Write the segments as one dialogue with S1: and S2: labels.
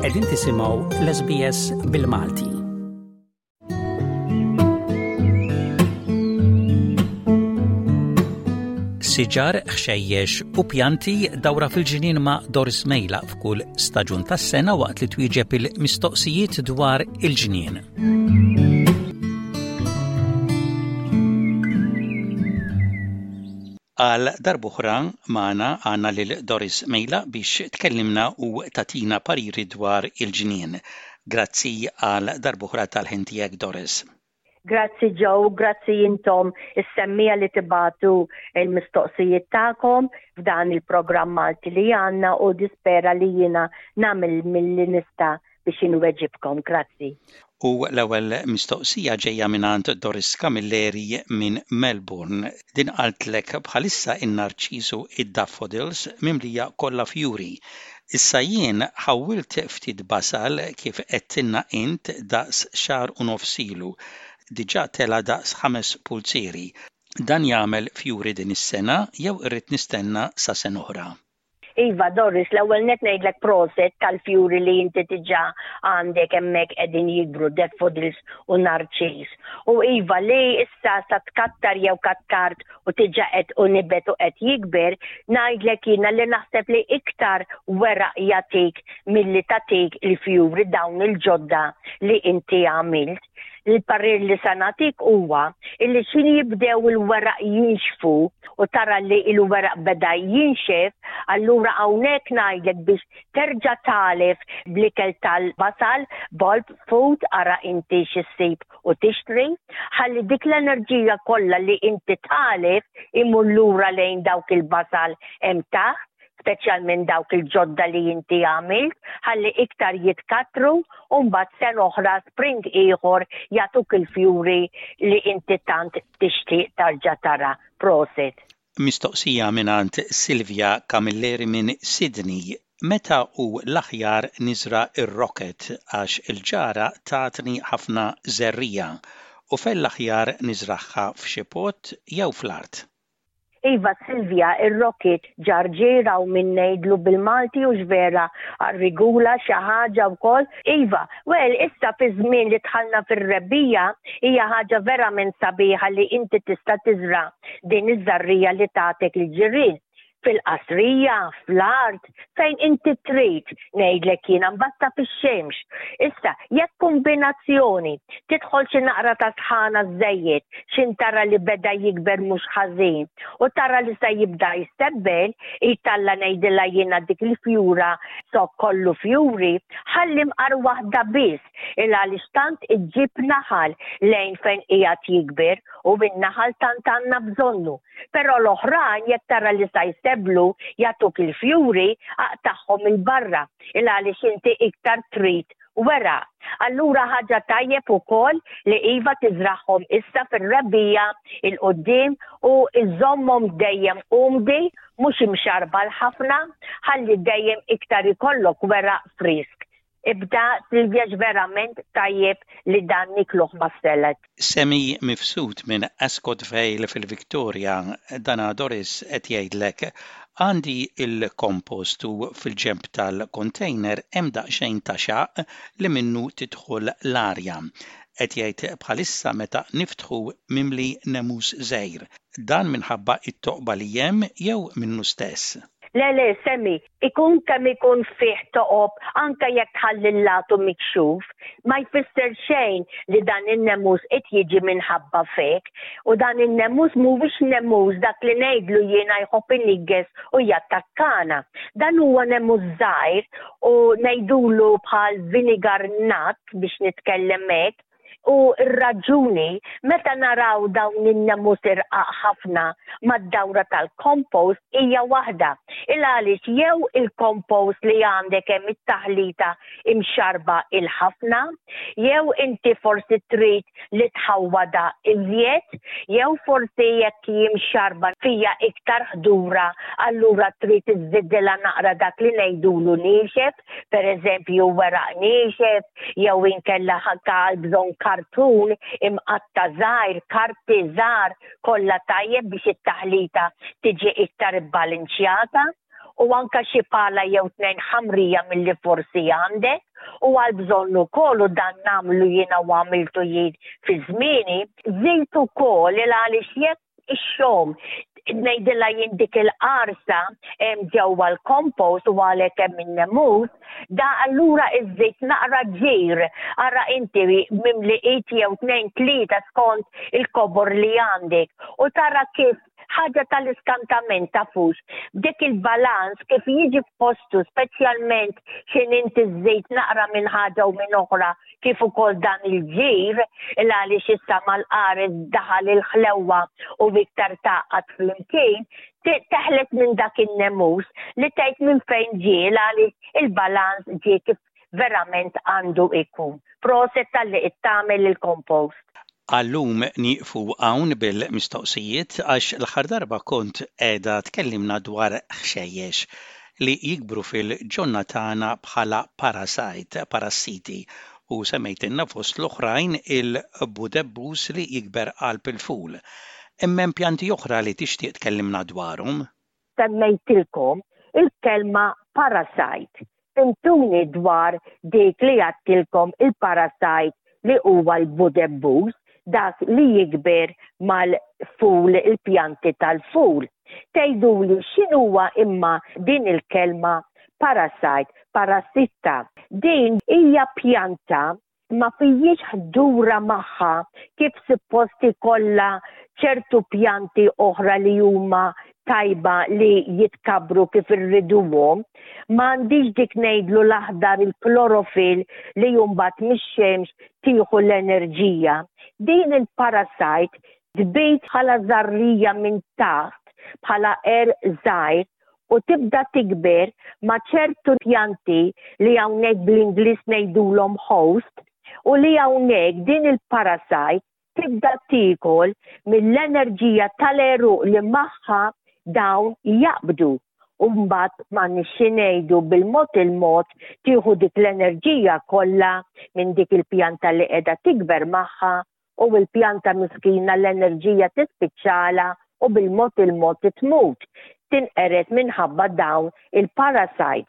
S1: Qegħdin tisimgħu l-SBS bil-Malti. Siġar, ħxejjex u pjanti dawra fil-ġnien ma' Doris Mejla f'kull staġun tas-sena waqt li twieġeb il-mistoqsijiet dwar il-ġnien. Għal darb'oħra magħna għandna lil Doris Mejla biex tkellimna u tagħtina pariri dwar il-ġnien. Grazzi għal darb'oħra tal-ħin tiegħek Doris.
S2: Grazzi Joe, grazzi intom is-semmiegħa li tibagħtu l-mistoqsijiet tagħkom f'dan il-programm Malti li għandna u dispera li jiena nagħmel milli nista' biex inweġibkom. Grazzi.
S1: U l-ewwel mistoqsija ġejja mingħand Doris Camilleri minn Melbourne. Din qaltlek bħalissa in-narċis u d-daffodils mimlija kollha fjuri. Issa jien ħawwilt ftit basal kif għedtilna int daqs xahar u nofs ilu. Diġà tela' daqs ħames pulzieri. Dan jagħmel fjuri din is-sena jew irrid nistenna sa sena oħra?
S2: Iva, Doris, l-ewwel nett ngħidlek proset tal-fjuri li inti diġà għandek hemmhekk qegħdin jikbru daffodils u narċis. U iva li issa sa tkattar jew kattart u diġà qed u nibet u qed jikber, ngħidlek jiena li naħseb li iktar weraq jagħtik milli tagħtik il-fjuri dawn il-ġodda li inti għamilt. Il-parir li sa nagħtik huwa illi x'ħin jibdew il-weraq jinxfu u tara li il-weraq beda jinxef, allura hawnhekk ngħidlek biex terġa' tagħlef bl-ikel tal-basal, bulb food, ara inti x'issib u tixtri, ħalli dik l-enerġija kollha li inti tagħlef imur lura lejn dawk il-basal hemm taħt speċjalment dawk il-ġodda li inti għamilt, ħalli iktar jitkattru u mbagħad sena oħra spring ieħor jagħtuk il-fjuri li inti tant tixtieq tarġa' tara. Prosit.
S1: Mistoqsija mingħand Silvia Camilleri minn Sydney, Meta hu l-aħjar niżra' r-rocket għax il-ġara tatni ħafna żerriegħa u fejn l-aħjar niżragħha f'xi pot jew fl-art?
S2: Iva Silvia, ir-rocket ġarġier hawn min ngħidlu bil-Malti hux vera għar-rigula xi ħaġa wkoll. Iva, well issa fiż-żmien li dħalna fir-rebbiegħa hija ħaġa verament sabiħa li inti tista' tiżra' din iż-żarrija li tagħtek il-ġirien. Fil-qasrija, fl-art, fejn inti trid, ngħidlek jiena mbagħad ta' fix-xemx. Issa, jekk kombinazzjoni tidħol xi naqra ta' sħana żejjed, x'in tara li beda jikber mhux ħażin u tara li se jibda jsebbel, italla ngħidilha jiena dik il-fjura zokk kollu fjuri, ħalli mqar waħda biss il għaliex tant iġġib naħal lejn fejn qiegħed jikber u in-naħal tant għandna bżonnu. Però l-oħrajn jekk tara li sa jsebblu jagħtuk il-fjuri, aqtagħhom 'il barra il għaliex inti iktar trid weraq. Allura ħaġa tajjeb ukoll li iva tiżragħhom issa fir-rebbiegħa 'il quddiem u żżommhom dejjem umdi mhux imxarrbal ħafna ħalli dejjem iktar ikollok weraq frisk. Ibda Silvia verament tajjeb li dan nikluh mas-salad.
S1: Semi Mifsud minn Ascot Vale fil-Victoria, Dana Doris qed jgħidlek, Għandi l-compost u fil-ġenb tal-container hemm daqsxejn ta' xaqq li minnu tidħol l-arja. Qed jgħid bħalissa meta niftħu mimli nemus żgħir. Dan minħabba t-toqba li hemm jew minnu stess?
S2: Le le, Semi, ikun kemm ikun fih toqob anke jekk tħalli l-latu mikxuf, ma jfisser xejn li dan in-nemus qed jiġi minħabba fik. U dan in-nemus mhuwiex nemus dak li ngħidlu jiena jħobb iniggeż u jattakkana. Dan huwa nemus żgħir u ngħidulu bħal vinegar nut biex nitkellem hekk, U r-raġuni, meta naraw dawn in-nemus irqaq ħafna mad-dawra tal-compost hija waħda, il għaliex jew il-compost li għandek hemm it-taħlita imxarrba il-ħafna, jew inti forsi trid li tħawwadha iżjed, jew forsi jekk hi mxarrba fiha iktar ħdura allura trid iżżidilha naqra dak li ngħidulu niexef, pereżempju weraq niexef, jew inkella ħakka għal bżonn kartun imqatta' żgħir, karti żgħar kollha tajjeb biex it-taħlita tiġi iktar ibbalinċjata u anka xi pala jew tnejn ħamrija milli forsi għandek. U għal bżonn ukoll u dan nagħmlu jiena u għamiltu jien fi żmieni, żid ukoll il għaliex jekk ix-xogħol ngħidilha jien dik il-qarsa hemm ġewwa l-compost u għalhekk hemm in-nemus, da allura iżżid naqra ġir, ara inti mimli id jew tnejn tlieta skont il-kobor li għandek u tara kif ħaġa tal-iskantament tafux b'dik il-balanz kif jiġi f'postu speċjalment x'in inti żżid naqra minn ħaġa u minn oħra kif ukoll dan il-ġir il għaliex issa mal-qares daħal il-ħlewwa u iktar tgħaqqad flimkien teħles minn dak in-nemus li tgħid minn fejn ġie għaliex il-balanz ġie kif verament għandu ikun. Proset talli qed tagħmel il-compost.
S1: Għal-lum nieqfu hawn bil-mistoqsijiet għax l-aħħar darba kont qiegħda tkellimna dwar ħxejjex li jikbru fil-ġonna tagħna bħala parasite, parassiti, u semmejtilna fost l-oħrajn il-budebbus li jikber qalb il-ful. Imma hemm pjanti oħra li tixtieq tkellimna dwarhom?
S2: Semmejtilkom il-kelma parasite. Fhimtuni dwar dik li għadtilkom il-parasite li huwa l-budebbus, dak li jikber mal-ful il-pjanti tal-ful. Tgħiduli x'inhuwa imma din il-kelma parasite, parassitta. Din hija pjanta ma fijiex ħdura magħha kif suppost ikollha ċertu pjanti oħra li huma tajba li jitkabbru kif irriduhom, ma għandix dik ngħidlu l-aħdar il-klorofil li mbagħad mix-xemx tieħu l-enerġija. Din il-parasite tbid bħala żarrija minn taħt bħala għerq żgħir u tibda tikber ma' ċertu pjanti li hawnhekk bl-Ingliż ngħidulhom host u li hawnhekk din il-parasite tibda tiekol mill-enerġija tal-għeruq li magħha dawn jaqbdu u mbagħad m'għandniex xi ngħidu bil-mod il-mod tieħu dik l-enerġija kollha minn dik il-pjanta li qiegħda tikber magħha u l-pjanta miskina l-enerġija tispiċċalha u bil-mod il-mod tmut, tinqered minħabba dawn il-parasites.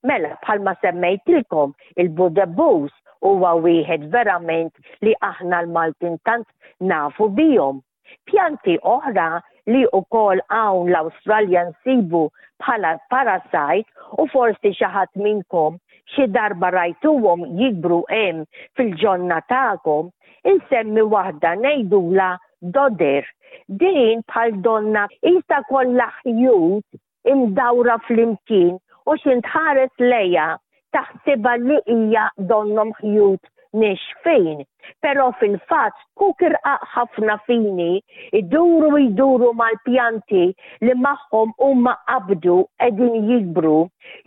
S2: Mela bħalma semmejtilkom il-budebbus huwa wieħed verament li aħna l-Maltin tant nafu bihom. Pjanti oħra li wkoll hawn l-Awstralja nsibu bħala parasite u forsi xi ħadd minnkom xi darba rajtuhom jikbru hemm fil-ġonna tagħkom, insemmi waħda ngħidulha dodder. Din bħal donnha qisha kollha ħjut imdawra flimkien u x'int tħares lejha taħsibha li hija donnhom ħjut nixfin. Però fil-fatt zkuk irqaq ħafna fini jduru u jduru mal-pjanti li magħhom huma qabdu qegħdin jikbru,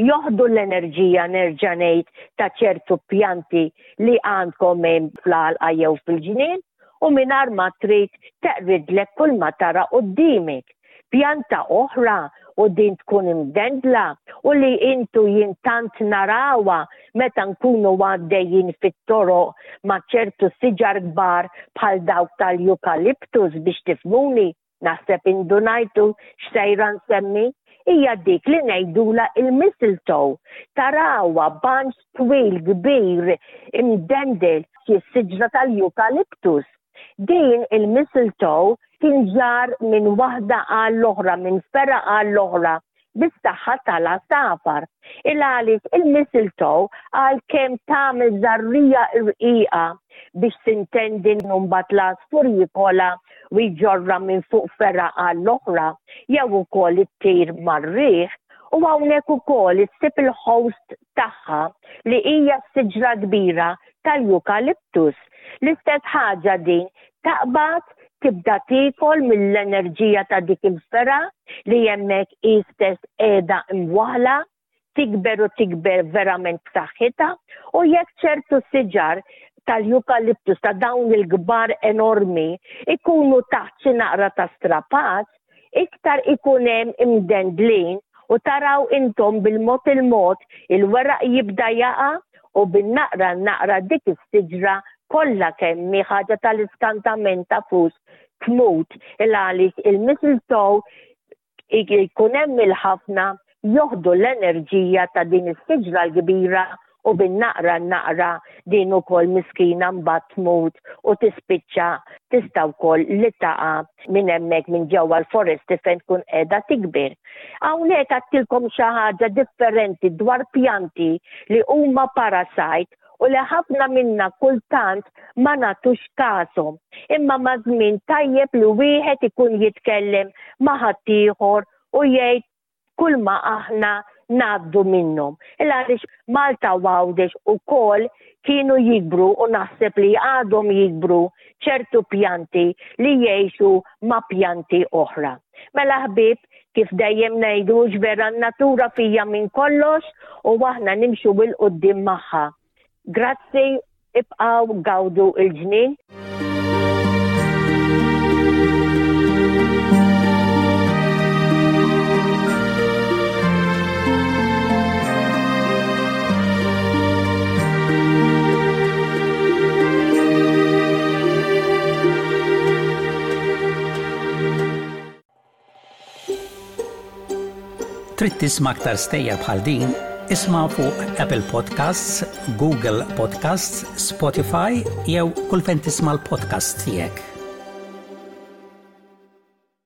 S2: joħdu l-enerġija nerġa' ngħid ta' ċertu pjanti li għandkom hemm fl-għalqa jew fil-ġnien u mingħajr ma trid teqridlek kull ma tara quddiemek. Pjanta oħra u din tkun imdendla u li intu jien tant narawha meta nkunu għaddejjin fit-toroq ma' ċertu siġar kbar bħal dawk tal-eucalyptus biex tifhmuni, naħseb indunajtu x'sejra nsemmi, hija dik li ngħidulha il-mistletoe. Tarawha banċ twil kbir imdendel xi siġra tal-eucalyptus. Din il-mistletoe tinġarr minn waħda għall-oħra, minn fergħa għall-oħra bis-saħħa tal-għasafar. Il għaliex il-mistletoe għalkemm tagħmel żarrija rqiqa biex tintendi mbagħad l-għasfur jikolha u jġorrha minn fuq fergħa għall-oħra jew ukoll ittir mar-riħ, u hawnhekk ukoll issib il-host tagħha li hija s-siġra kbira tal-eucalyptus. L-istess ħaġa din taqbad tibda tiekol mill-enerġija ta' dik il-fergħa li hemmhekk hi stess qiegħda imwaħħla, tikber u tikber verament b'saħħitha u jekk ċertu siġar tal-eucalyptus ta' dawn il-kbar enormi ikunu taħt xi naqra ta' strapazz, iktar ikun hemm imdendlin u taraw intom bil-mod il-mod il-weraq jibda jaqa' u bin-naqra n-naqra dik is-siġra kollha kemm hi ħaġa tal-iskantament tafux tmut il għaliex il-mistletoe jkun hemm il-ħafna joħdu l-enerġija ta' din is-siġra l-kbira. U bin-naqra n-naqra din ukoll miskina mbagħad tmut u tispiċċa tista' wkoll li taqa' minn hemmhekk minn ġewwa l-foresti fejn tkun qiegħda tikber. Hawnhekk għadtilkom xi ħaġa differenti dwar pjanti li huma parasite u li ħafna minna kultant ma nagħtux kashom. Imma maż-żmien tajjeb li wieħed ikun jitkellem ma' ħaddieħor u jgħid kulma aħna ngħaddu minnhom. Il għaliex Malta u Għawdex ukoll kienu jikbru u naħseb li għadhom jikbru ċertu pjanti li jgħixu ma' pjanti oħra. Mela ħbieb, kif dejjem ngħidu vera n-natura fija minn kollox u aħna nimxu 'l quddiem magħha. Grazzi, ibqgħu gawdu l-ġnien.
S1: Trid tisma' aktar stejjer bħal din? Isma' fuq Apple Podcasts, Google Podcasts, Spotify jew kull fejn tisma' l-podcasts tiegħek.